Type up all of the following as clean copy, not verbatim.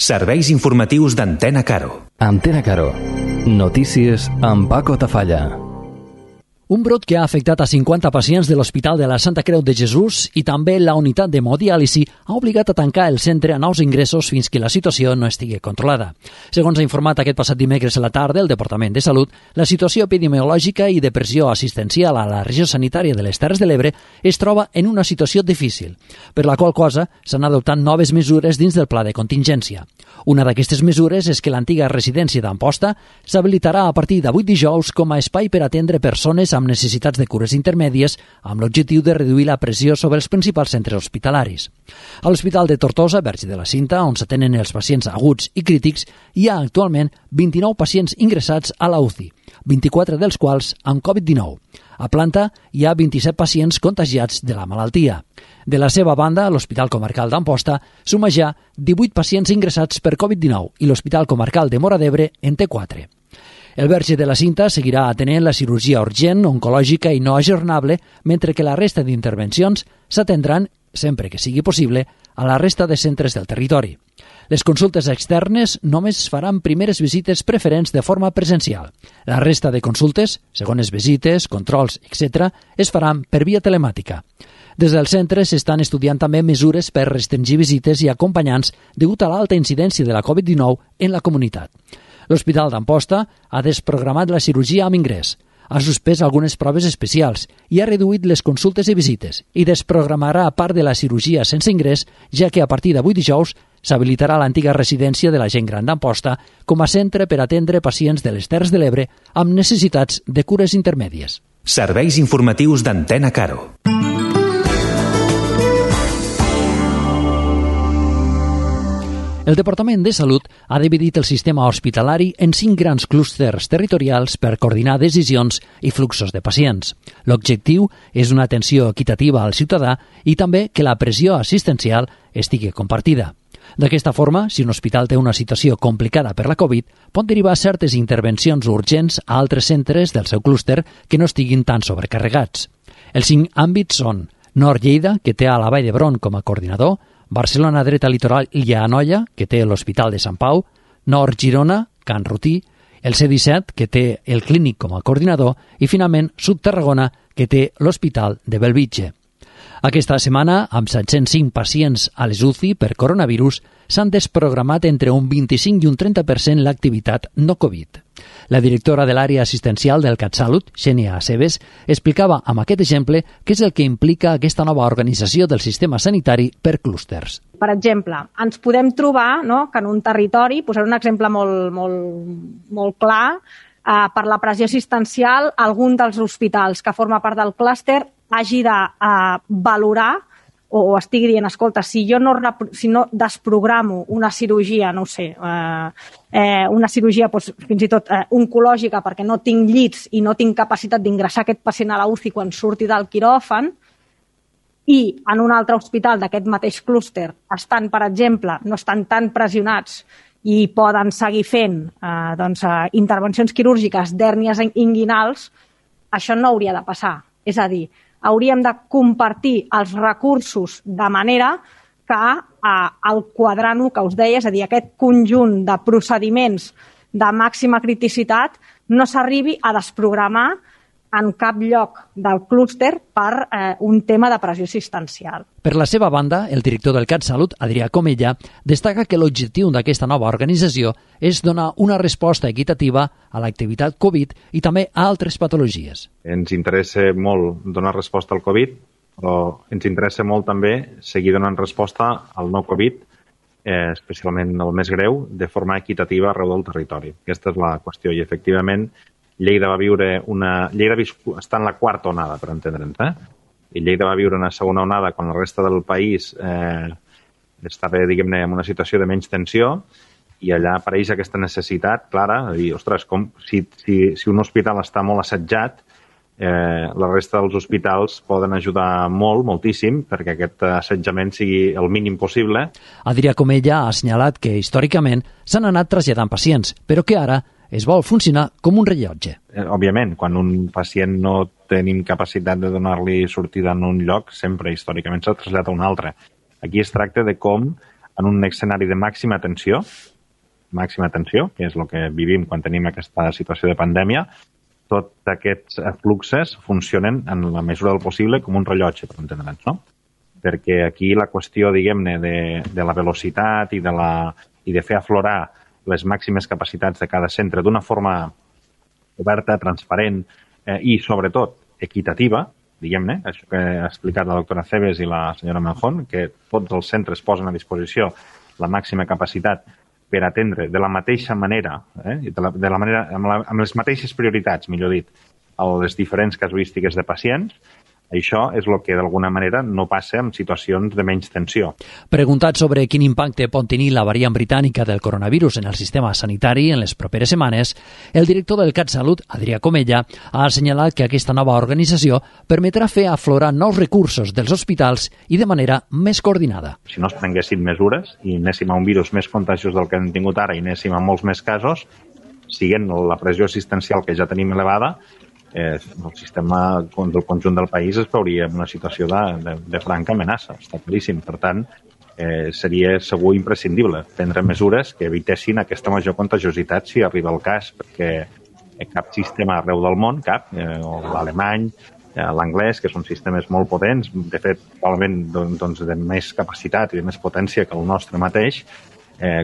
Serveis informatius d'Antena Caro. Antena Caro. Notícies amb Paco Tafalla. Un brot que ha afectat a 50 pacients de l'Hospital de la Santa Creu de Jesús i també la unitat d'hemodiàlisi ha obligat a tancar el centre a nous ingressos fins que la situació no estigui controlada. Segons ha informat aquest passat dimecres a la tarda el Departament de Salut, la situació epidemiològica i de pressió assistencial a la regió sanitària de les Terres de l'Ebre es troba en una situació difícil, per la qual cosa s'han adoptat noves mesures dins del pla de contingència. Una d'aquestes mesures és que l'antiga residència d'Amposta s'habilitarà a partir d'avui dijous com a espai per atendre persones amb necessitats de cures intermèdies amb l'objectiu de reduir la pressió sobre els principals centres hospitalaris. A l'Hospital de Tortosa, Verge de la Cinta, on s'atenen els pacients aguts i crítics, hi ha actualment 29 pacients ingressats a la UCI, 24 dels quals amb Covid-19. A planta hi ha 27 pacients contagiats de la malaltia. De la seva banda, l'Hospital Comarcal d'Amposta suma ja 18 pacients ingressats per Covid-19 i l'Hospital Comarcal de Móra d'Ebre en té 4. El Verge de la Cinta seguirà atenent la cirurgia urgent, oncològica i no ajornable, mentre que la resta d'intervencions s'atendran, sempre que sigui possible, a la resta de centres del territori. Les consultes externes només faran primeres visites preferents de forma presencial. La resta de consultes, segones visites, controls, etc., es faran per via telemàtica. Des del centre s'estan estudiant també mesures per restringir visites i acompanyants degut a l'alta incidència de la Covid-19 en la comunitat. L'Hospital d'Amposta ha desprogramat la cirurgia amb ingrés, ha suspès algunes proves especials i ha reduït les consultes i visites i desprogramarà part de la cirurgia sense ingrés, ja que a partir d'avui dijous s'habilitarà l'antiga residència de la gent gran d'Amposta com a centre per atendre pacients de les Terres de l'Ebre amb necessitats de cures intermèdies. Serveis informatius d'Antena Caro. El Departament de Salut ha dividit el sistema hospitalari en 5 grans clústers territorials per coordinar decisions i fluxos de pacients. L'objectiu és una atenció equitativa al ciutadà i també que la pressió assistencial estigui compartida. D'aquesta forma, si un hospital té una situació complicada per la Covid, pot derivar certes intervencions urgents a altres centres del seu clúster que no estiguin tan sobrecarregats. Els 5 àmbits són Nord Lleida, que té a la Vall d'Hebron com a coordinador, Barcelona Dreta Litoral i Anoia, que té l'Hospital de Sant Pau, Nord Girona, Can Rutí, el C-17, que té el Clínic com a coordinador, i finalment Sud Tarragona, que té l'Hospital de Bellvitge. Aquesta setmana, amb 705 pacients a les UCI per coronavirus, s'han desprogramat entre un 25 i un 30% l'activitat no Covid. La directora de l'àrea assistencial del CatSalut, Xènia Aceves, explicava amb aquest exemple què és el que implica aquesta nova organització del sistema sanitari per clústers. Per exemple, ens podem trobar que en un territori, posaré un exemple molt clar, per la pressió assistencial, algun dels hospitals que forma part del clúster hagi de valorar o estigui dient, escolta, si no desprogramo una cirurgia, no ho sé, una cirurgia fins i tot oncològica perquè no tinc llits i no tinc capacitat d'ingressar aquest pacient a la UCI quan surti del quiròfan, i en un altre hospital d'aquest mateix clúster estan, per exemple, no estan tan pressionats i poden seguir fent intervencions quirúrgiques d'hèrnies inguinals, això no hauria de passar. És a dir, hauríem de compartir els recursos de manera que el quadrant 1 que us deia, és a dir, aquest conjunt de procediments de màxima criticitat, no s'arribi a desprogramar en cap lloc del clúster per un tema de pressió assistencial. Per la seva banda, el director del CatSalut, Adrià Comella, destaca que l'objectiu d'aquesta nova organització és donar una resposta equitativa a l'activitat Covid i també a altres patologies. Ens interessa molt donar resposta al Covid, però ens interessa molt també seguir donant resposta al no Covid, especialment el més greu, de forma equitativa arreu del territori. Aquesta és la qüestió i, efectivament, Lleida està en la quarta onada, per entendre'ns, i Lleida va viure una segona onada quan la resta del país estava, diguem-ne, en una situació de menys tensió, i allà apareix aquesta necessitat clara de dir, ostres, si un hospital està molt assetjat, la resta dels hospitals poden ajudar moltíssim, perquè aquest assetjament sigui el mínim possible. Adrià Comella ha assenyalat que històricament s'han anat traslladant pacients, però que ara es vol funcionar com un rellotge. Òbviament, quan un pacient no tenim capacitat de donar-li sortida en un lloc, sempre històricament s'ha traslladat a un altre. Aquí es tracta de com en un escenari de màxima tensió, que és el que vivim quan tenim aquesta situació de pandèmia, tots aquests fluxes funcionen en la mesura del possible com un rellotge, per entendre'ns, no? Perquè aquí la qüestió, diguem-ne, de la velocitat i de fer aflorar les màximes capacitats de cada centre d'una forma oberta, transparent i, sobretot, equitativa, diguem-ne, això que ha explicat la doctora Cebes i la senyora Manjón, que tots els centres posen a disposició la màxima capacitat per atendre de la mateixa manera, amb les mateixes prioritats, millor dit, a les diferents casuístiques de pacients. Això és el que d'alguna manera no passa en situacions de menys tensió. Preguntat sobre quin impacte pot tenir la variant britànica del coronavirus en el sistema sanitari en les properes setmanes, el director del CatSalut, Adrià Comella, ha assenyalat que aquesta nova organització permetrà fer aflorar nous recursos dels hospitals i de manera més coordinada. Si no es prenguessin mesures i anéssim a un virus més contagiós del que hem tingut ara i anéssim a molts més casos, siguent la pressió assistencial que ja tenim elevada, el sistema del conjunt del país es veuria en una situació de franca amenaça, està claríssim. Per tant, seria segur imprescindible prendre mesures que evitessin aquesta major contagiositat si arriba el cas, perquè cap sistema arreu del món, l'alemany, l'anglès, que són sistemes molt potents, de fet, probablement de més capacitat i de més potència que el nostre mateix,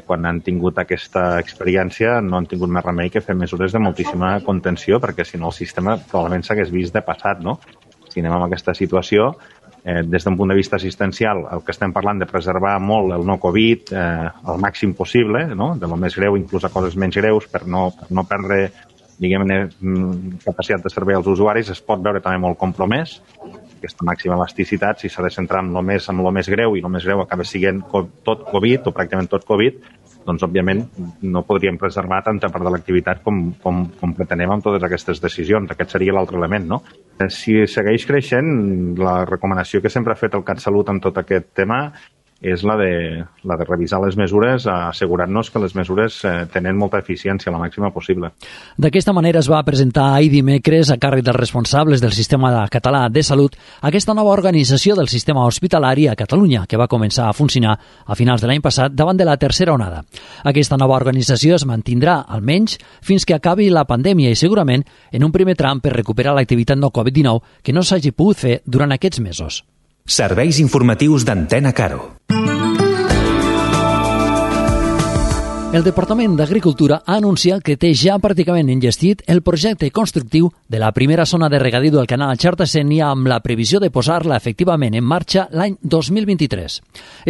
quan han tingut aquesta experiència no han tingut més remei que fer mesures de moltíssima contenció, perquè si no el sistema probablement s'hagués vist de passat, no? Si anem amb aquesta situació, des d'un punt de vista assistencial, el que estem parlant de preservar molt el no Covid al màxim possible, no? De lo més greu inclús a coses menys greus, per no perdre, diguem-ne, capacitat de servei als usuaris, es pot veure també molt compromès. Aquesta màxima elasticitat, si s'ha de centrar en lo més greu, i el més greu acaba sent tot Covid, o pràcticament tot Covid, doncs, òbviament, no podríem preservar tanta part de l'activitat com pretenem amb totes aquestes decisions. Aquest seria l'altre element, no? Si segueix creixent, la recomanació que sempre ha fet el CatSalut en tot aquest tema és la de revisar les mesures, assegurant-nos que les mesures tenen molta eficiència, la màxima possible. D'aquesta manera es va presentar ahir dimecres, a càrrec dels responsables del Sistema Català de Salut, aquesta nova organització del sistema hospitalari a Catalunya, que va començar a funcionar a finals de l'any passat davant de la tercera onada. Aquesta nova organització es mantindrà, almenys, fins que acabi la pandèmia i segurament en un primer tram per recuperar l'activitat no Covid-19 que no s'hagi pogut fer durant aquests mesos. Serveis informatius d'Antena Caro. El Departament d'Agricultura ha anunciat que té ja pràcticament enllestit el projecte constructiu de la primera zona de regadiu del canal Xerta-Sénia amb la previsió de posar-la efectivament en marxa l'any 2023.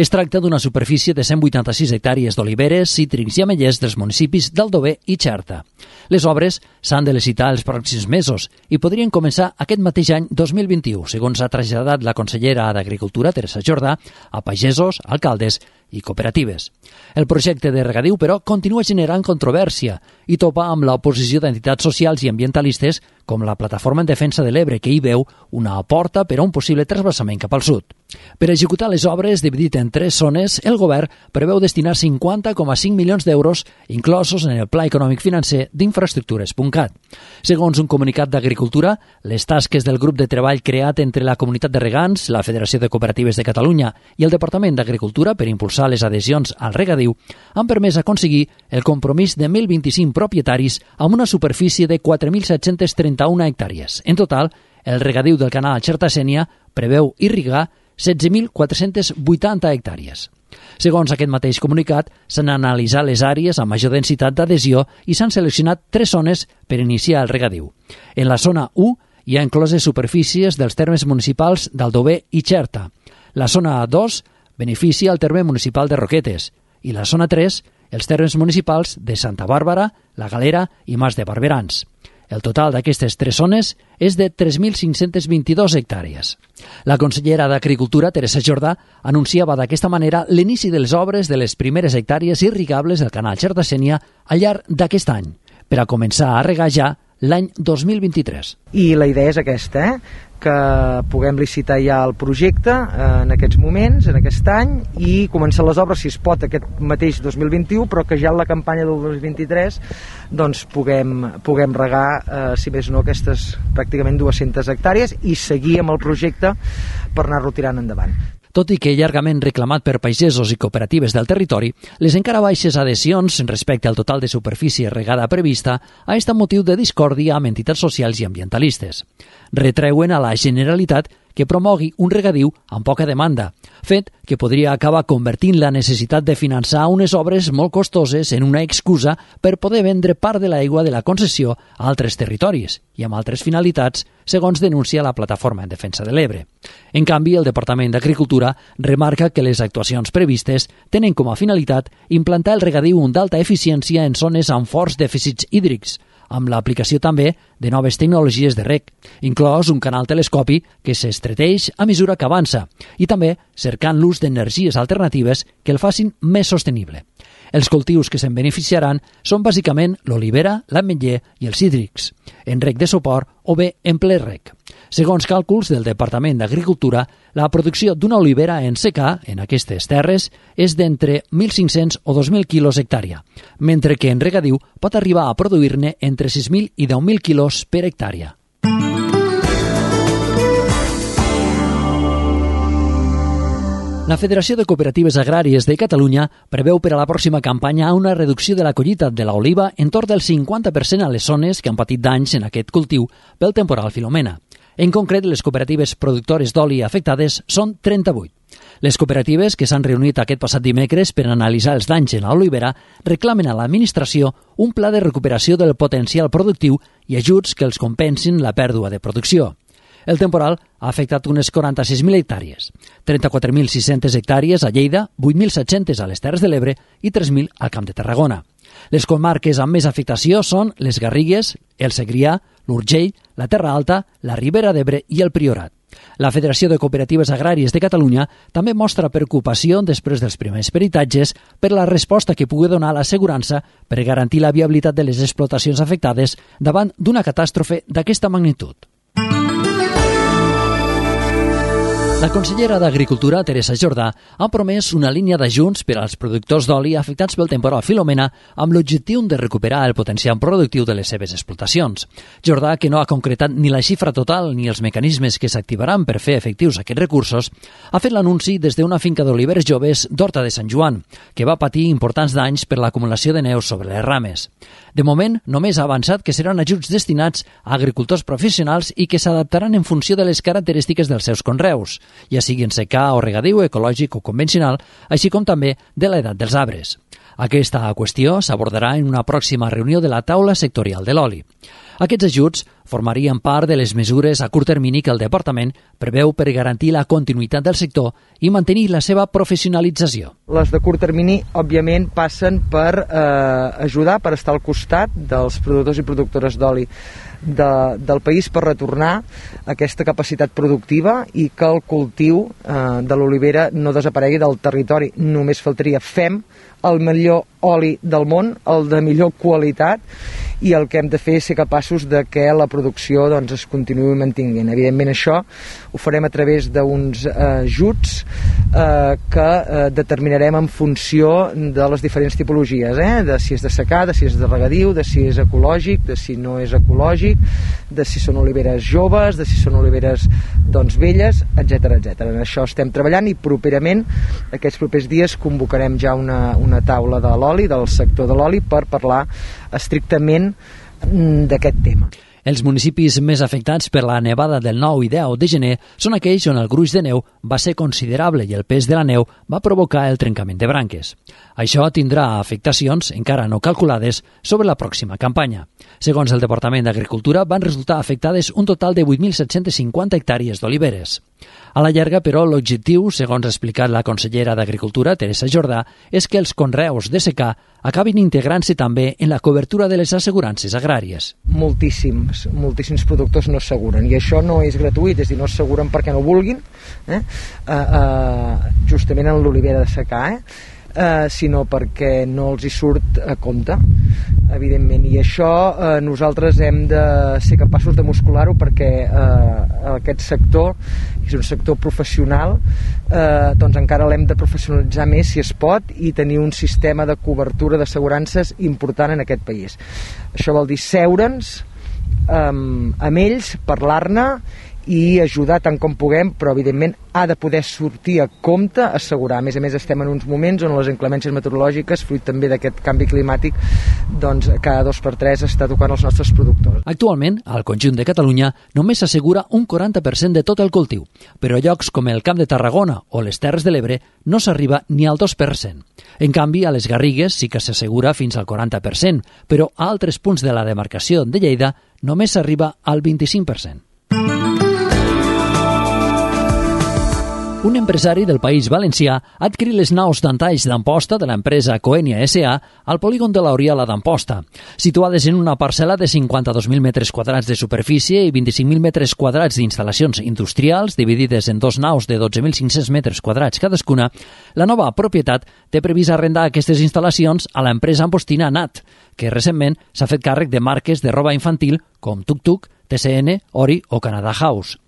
Es tracta d'una superfície de 186 hectàrees d'oliveres, cítrics i ametllers dels municipis d'Aldover i Xerta. Les obres s'han de licitar els pròxims mesos i podrien començar aquest mateix any 2021, segons ha traslladat la consellera d'Agricultura, Teresa Jordà, a pagesos, alcaldes i cooperatives. El projecte de regadiu, però, continua generant controvèrsia i topa amb l'oposició d'entitats socials i ambientalistes com la Plataforma en Defensa de l'Ebre, que hi veu una porta per a un possible trasbassament cap al sud. Per executar les obres, dividit en 3 zones, el govern preveu destinar 50,5 milions d'euros inclosos en el Pla Econòmic Financer d'Infraestructures.cat. Segons un comunicat d'Agricultura, les tasques del grup de treball creat entre la Comunitat de Regants, la Federació de Cooperatives de Catalunya i el Departament d'Agricultura per impulsar les adhesions al regadiu han permès aconseguir el compromís de 1.025 propietaris amb una superfície de 4.731 hectàrees. En total, el regadiu del canal Xerta-Sénia preveu irrigar 16.480 hectàrees. Segons aquest mateix comunicat, s'han analitzat les àrees amb major densitat d'adhesió i s'han seleccionat 3 zones per iniciar el regadiu. En la zona 1 hi ha incloses superfícies dels termes municipals d'Aldover i Xerta. La zona 2 beneficia el terme municipal de Roquetes i la zona 3 els termes municipals de Santa Bàrbara, La Galera i Mas de Barberans. El total d'aquestes 3 zones és de 3.522 hectàrees. La consellera d'Agricultura, Teresa Jordà, anunciava d'aquesta manera l'inici de les obres de les primeres hectàrees irrigables del canal Xerta-Sénia al llarg d'aquest any, per a començar a regar ja l'any 2023. I la idea és aquesta, que puguem licitar ja el projecte en aquests moments, en aquest any, i començar les obres, si es pot, aquest mateix 2021, però que ja en la campanya del 2023 doncs puguem regar, si més no, aquestes pràcticament 200 hectàrees i seguir amb el projecte per anar-lo tirant endavant. Tot i que llargament reclamat per pagesos i cooperatives del territori, les encara baixes adhesions respecte al total de superfície regada prevista ha estat motiu de discòrdia amb entitats socials i ambientalistes. Retreuen a la Generalitat que promogui un regadiu amb poca demanda, fet que podria acabar convertint la necessitat de finançar unes obres molt costoses en una excusa per poder vendre part de l'aigua de la concessió a altres territoris i amb altres finalitats, segons denuncia la Plataforma en Defensa de l'Ebre. En canvi, el Departament d'Agricultura remarca que les actuacions previstes tenen com a finalitat implantar el regadiu d'alta eficiència en zones amb forts dèficits hídrics, amb l'aplicació també de noves tecnologies de reg, inclòs un canal telescopi que s'estreteix a mesura que avança, i també cercant l'ús d'energies alternatives que el facin més sostenible. Els cultius que se'n beneficiaran són bàsicament l'olivera, l'ametller i els cítrics, en reg de suport o bé en ple reg. Segons càlculs del Departament d'Agricultura, la producció d'una olivera en secà en aquestes terres és d'entre 1.500 o 2.000 quilos hectàrea, mentre que en regadiu pot arribar a produir-ne entre 6.000 i 10.000 quilos per hectàrea. La Federació de Cooperatives Agràries de Catalunya preveu per a la pròxima campanya una reducció de la collita de l'oliva en torn del 50% a les zones que han patit danys en aquest cultiu pel temporal Filomena. En concret, les cooperatives productores d'oli afectades són 38. Les cooperatives, que s'han reunit aquest passat dimecres per analitzar els danys en l'olivera, reclamen a l'administració un pla de recuperació del potencial productiu i ajuts que els compensin la pèrdua de producció. El temporal ha afectat unes 46.000 hectàrees, 34.600 hectàrees a Lleida, 8.700 a les Terres de l'Ebre i 3.000 al Camp de Tarragona. Les comarques amb més afectació són les Garrigues, el Segrià, l'Urgell, la Terra Alta, la Ribera d'Ebre i el Priorat. La Federació de Cooperatives Agràries de Catalunya també mostra preocupació després dels primers peritatges per la resposta que pugui donar l'assegurança per garantir la viabilitat de les explotacions afectades davant d'una catàstrofe d'aquesta magnitud. La consellera d'Agricultura, Teresa Jordà, ha promès una línia d'ajuts per als productors d'oli afectats pel temporal Filomena amb l'objectiu de recuperar el potencial productiu de les seves explotacions. Jordà, que no ha concretat ni la xifra total ni els mecanismes que s'activaran per fer efectius aquests recursos, ha fet l'anunci des d'una finca d'oliveres joves d'Horta de Sant Joan, que va patir importants danys per l'acumulació de neu sobre les rames. De moment, només ha avançat que seran ajuts destinats a agricultors professionals i que s'adaptaran en funció de les característiques dels seus conreus, ja sigui en secà o regadiu, ecològic o convencional, així com també de l'edat dels arbres. Aquesta qüestió s'abordarà en una pròxima reunió de la taula sectorial de l'oli. Aquests ajuts formarien part de les mesures a curt termini que el Departament preveu per garantir la continuïtat del sector i mantenir la seva professionalització. Les de curt termini, òbviament, passen per ajudar, per estar al costat dels productors i productores d'oli del país per retornar aquesta capacitat productiva i que el cultiu de l'olivera no desaparegui del territori. Només faltaria. Fem el millor oli del món, el de millor qualitat, i el que hem de fer és ser capaços de que la producció es continuï mantinguent. Evidentment això ho farem a través d'uns ajuts que determinarem en funció de les diferents tipologies, de si és de secà, de si és de regadiu, de si és ecològic, de si no és ecològic, de si són oliveres joves, de si són oliveres velles, etc. En això estem treballant i properament, aquests propers dies, convocarem ja una taula de l'oli, del sector de l'oli, per parlar estrictament d'aquest tema. Els municipis més afectats per la nevada del 9 i 10 de gener són aquells on el gruix de neu va ser considerable i el pes de la neu va provocar el trencament de branques. Això tindrà afectacions encara no calculades sobre la pròxima campanya. Segons el Departament d'Agricultura, van resultar afectades un total de 8.750 hectàrees d'oliveres. A la llarga, però, l'objectiu, segons ha explicat la consellera d'Agricultura, Teresa Jordà, és que els conreus de secà acabin integrant-se també en la cobertura de les assegurances agràries. Moltíssims productors no asseguren, i això no és gratuït, és a dir, no asseguren perquè no vulguin, justament en l'olivera de secà, sinó perquè no els hi surt a compte, evidentment, i això nosaltres hem de ser capaços de muscular-ho perquè aquest sector és un sector professional, encara l'hem de professionalitzar més si es pot i tenir un sistema de cobertura d'assegurances important en aquest país. Això vol dir seure'ns amb ells, parlar-ne i ajudar tant com puguem, però evidentment ha de poder sortir a compte, assegurar. A més, estem en uns moments on les inclemències meteorològiques, fruit també d'aquest canvi climàtic, doncs cada 2 per 3 està tocant els nostres productors. Actualment, al conjunt de Catalunya només s'assegura un 40% de tot el cultiu, però a llocs com el Camp de Tarragona o les Terres de l'Ebre no s'arriba ni al 2%. En canvi, a les Garrigues sí que s'assegura fins al 40%, però a altres punts de la demarcació de Lleida només s'arriba al 25%. Un empresari del País Valencià ha adquirit les naus d'entalls d'Amposta de l'empresa Coenia S.A. al polígon de l'Oriola d'Amposta, situades en una parcel·la de 52.000 metres quadrats de superfície i 25.000 metres quadrats d'instal·lacions industrials, dividides en 2 naus de 12.500 metres quadrats cadascuna. La nova propietat té previst arrendar aquestes instal·lacions a l'empresa ampostina NAT, que recentment s'ha fet càrrec de marques de roba infantil com Tuk Tuk, TCN, Ori o Canada House.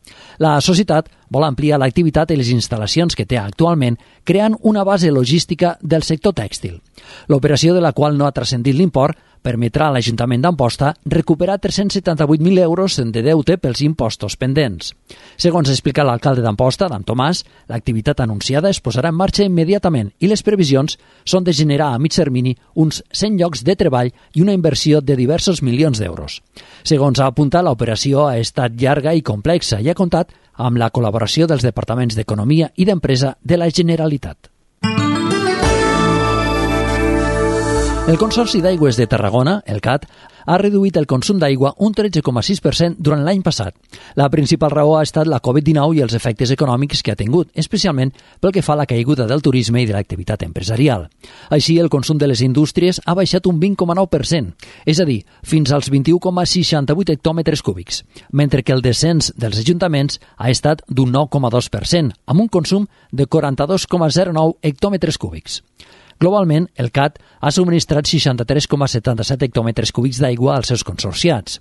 La societat vol ampliar l'activitat i les instal·lacions que té actualment, creant una base logística del sector tèxtil. L'operació, de la qual no ha transcendit l'import, permetrà a l'Ajuntament d'Amposta recuperar 378.000 euros de deute pels impostos pendents. Segons explica l'alcalde d'Amposta, Adam Tomàs, l'activitat anunciada es posarà en marxa immediatament i les previsions són de generar a mig termini uns 100 llocs de treball i una inversió de diversos milions d'euros. Segons ha apuntat, l'operació ha estat llarga i complexa i ha comptat amb la col·laboració dels departaments d'Economia i d'Empresa de la Generalitat. El Consorci d'Aigües de Tarragona, el CAT, ha reduït el consum d'aigua un 13,6% durant l'any passat. La principal raó ha estat la Covid-19 i els efectes econòmics que ha tingut, especialment pel que fa a la caiguda del turisme i de l'activitat empresarial. Així, el consum de les indústries ha baixat un 20,9%, és a dir, fins als 21,68 hectòmetres cúbics, mentre que el descens dels ajuntaments ha estat d'un 9,2%, amb un consum de 42,09 hectòmetres cúbics. Globalment, el CAT ha subministrat 63,77 hectòmetres cúbics d'aigua als seus consorciats.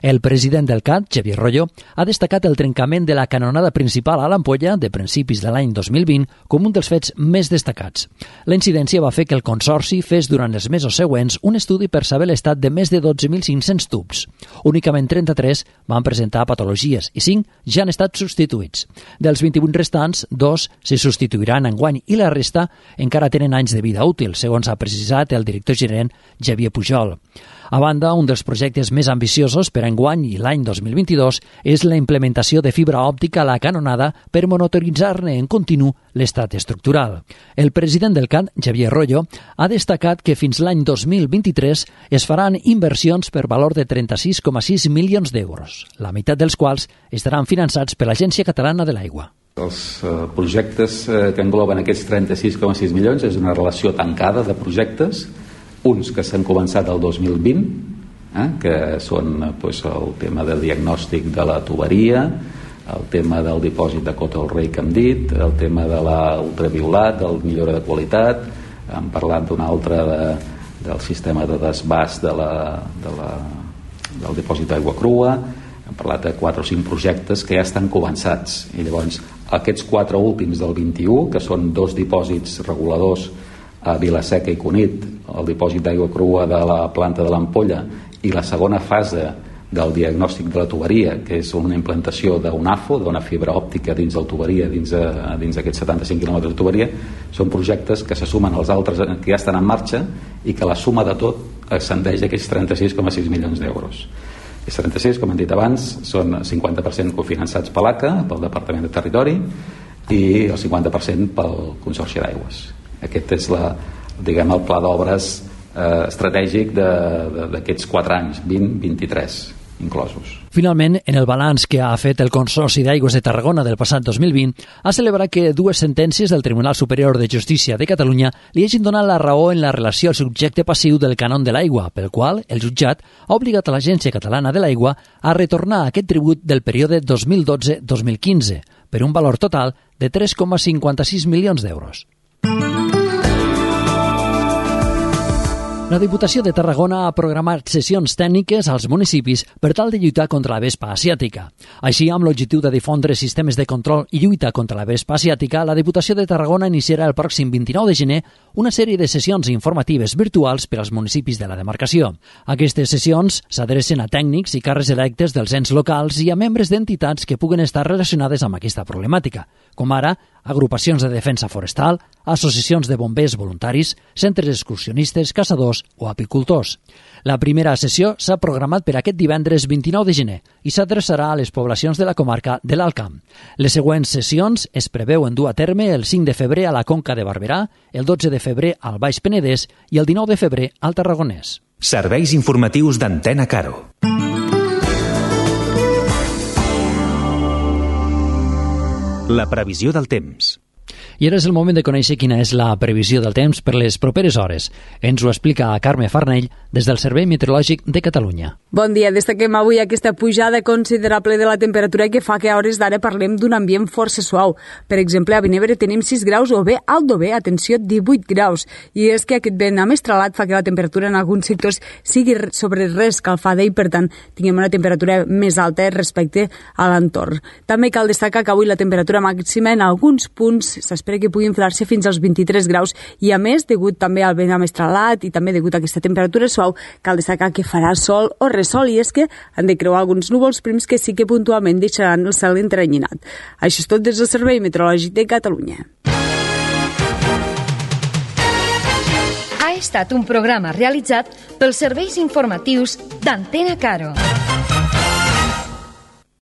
El president del CAT, Xavier Royo, ha destacat el trencament de la canonada principal a l'Ampolla de principis de l'any 2020 com un dels fets més destacats. La incidència va fer que el consorci fes durant els mesos següents un estudi per saber l'estat de més de 12.500 tubs. Únicament 33 van presentar patologies i 5 ja han estat substituïts. Dels 28 restants, 2 se substituiran enguany i la resta encara tenen anys de vida útil, segons ha precisat el director gerent Xavier Pujol. A banda, un dels projectes més ambiciosos per enguany i l'any 2022 és la implementació de fibra òptica a la canonada per monitoritzar-ne en continu l'estat estructural. El president del CAT, Xavier Royo, ha destacat que fins l'any 2023 es faran inversions per valor de 36,6 milions d'euros, la meitat dels quals estaran finançats per l'Agència Catalana de l'Aigua. Els projectes que engloben aquests 36,6 milions és una relació tancada de projectes, uns que s'han començat el 2020, que són el tema del diagnòstic de la tuberia, el tema del dipòsit de Cota del Rei que hem dit, el tema de l'ultraviolat, del millora de qualitat, hem parlat d'un altre del sistema de desbast del dipòsit d'aigua crua, hem parlat de 4 o 5 projectes que ja estan començats, i llavors aquests 4 últims del 21, que són 2 dipòsits reguladors a Vilaseca i Cunit, el dipòsit d'aigua crua de la planta de l'Ampolla i la segona fase del diagnòstic de la tuberia, que és una implantació d'un AFO, d'una fibra òptica dins de la tuberia, dins d'aquests 75 quilòmetres de tuberia, són projectes que se sumen als altres que ja estan en marxa i que la suma de tot ascendeix a aquests 36,6 milions d'euros. Els 36, com hem dit abans, són 50% cofinançats per l'ACA, pel Departament de Territori, i el 50% pel Consorci d'Aigües. Aquest és el pla d'obres estratègic d'aquests 4 anys, 20-23 inclosos. Finalment, en el balanç que ha fet el Consorci d'Aigües de Tarragona del passat 2020, ha celebrat que 2 sentències del Tribunal Superior de Justícia de Catalunya li hagin donat la raó en la relació al subjecte passiu del cànon de l'aigua, pel qual el jutjat ha obligat a l'Agència Catalana de l'Aigua a retornar aquest tribut del període 2012-2015 per un valor total de 3,56 milions d'euros. La Diputació de Tarragona ha programat sessions tècniques als municipis per tal de lluitar contra la vespa asiàtica. Així, amb l'objectiu de difondre sistemes de control i lluita contra la vespa asiàtica, la Diputació de Tarragona iniciarà el pròxim 29 de gener una sèrie de sessions informatives virtuals per als municipis de la demarcació. Aquestes sessions s'adrecen a tècnics i càrrecs electes dels ens locals i a membres d'entitats que puguen estar relacionades amb aquesta problemàtica, com ara agrupacions de defensa forestal, associacions de bombers voluntaris, centres excursionistes, caçadors o apicultors. La primera sessió s'ha programat per aquest divendres 29 de gener i s'adreçarà a les poblacions de la comarca de l'Alt Camp. Les següents sessions es preveuen dur a terme el 5 de febrer a la Conca de Barberà, el 12 de febrer al Baix Penedès i el 19 de febrer al Tarragonès. Serveis informatius d'Antena Caro. La previsió del temps. I ara és el moment de conèixer quina és la previsió del temps per les properes hores. Ens ho explica Carme Farnell des del Servei Meteorològic de Catalunya. Bon dia, destaquem avui aquesta pujada considerable de la temperatura que fa que a hores d'ara parlem d'un ambient força suau. Per exemple, a Vinebre tenim 6 graus o bé alt o bé, atenció, 18 graus. I és que aquest vent amestralat fa que la temperatura en alguns sectors sigui sobre reescalfada i, per tant, tinguem una temperatura més alta respecte a l'entorn. També cal destacar que avui la temperatura màxima en alguns punts s'espera que pugui inflar-se fins als 23 graus i, a més, degut també al vent amestralat i també degut a aquesta temperatura suau, cal destacar que farà sol o ressol i és que han de creuar alguns núvols prims que sí que puntualment deixaran el cel entrenyinat. Això és tot des del Servei Meteorològic de Catalunya. Ha estat un programa realitzat pels serveis informatius d'Antena Caro.